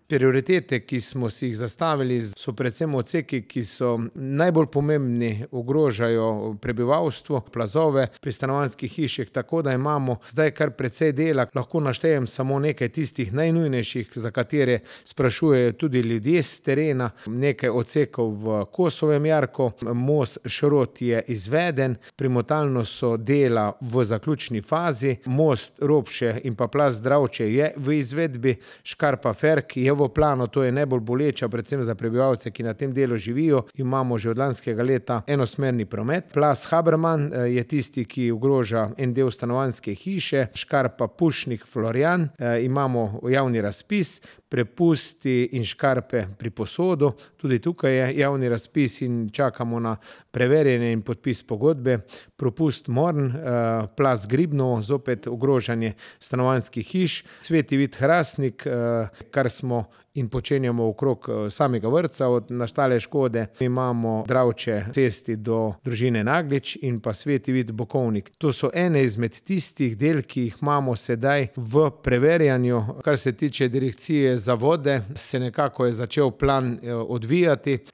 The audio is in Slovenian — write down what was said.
Prioritete, ki smo si jih zastavili, so predvsem odseki, ki so najbolj pomembni, ogrožajo prebivalstvo, plazove pri stanovanjskih hišah, tako da imamo zdaj kar precej dela. Lahko naštejem samo nekaj tistih najnujnejših, za katere sprašujejo tudi ljudje s terena. Nekaj odsekov v Kosovem jarku, most Šrot je izveden, primotalno so dela v zaključni fazi, most Robše in pa plaz Dravče je v izvedbi, Škarpa-Ferk je v planu, to je najbolj boleča, predvsem za prebivalce, ki na tem delu živijo. Imamo že od lanskega leta enosmerni promet. Plaz Haberman je tisti, ki ogroža en del stanovanjske hiše, Škarpa-Pušnik-Florjan, imamo javni razpis, prepusti in škarpe pri Posodu, tudi tukaj je javni razpis in čakamo na preverjanje in podpis pogodbe. Propust Morn, plaz Gribno, zopet ogrožanje stanovanjskih hiš, Sveti Vid Hrastnik, kar smo in počenjamo okrog samega vrtca od nastale škode. Imamo Dravče cesti do družine Naglič in pa Sveti Vid Bokovnik. To so ene izmed tistih del, ki jih imamo sedaj v preverjanju. Kar se tiče direkcije za vode, se nekako je začel plan odvijati.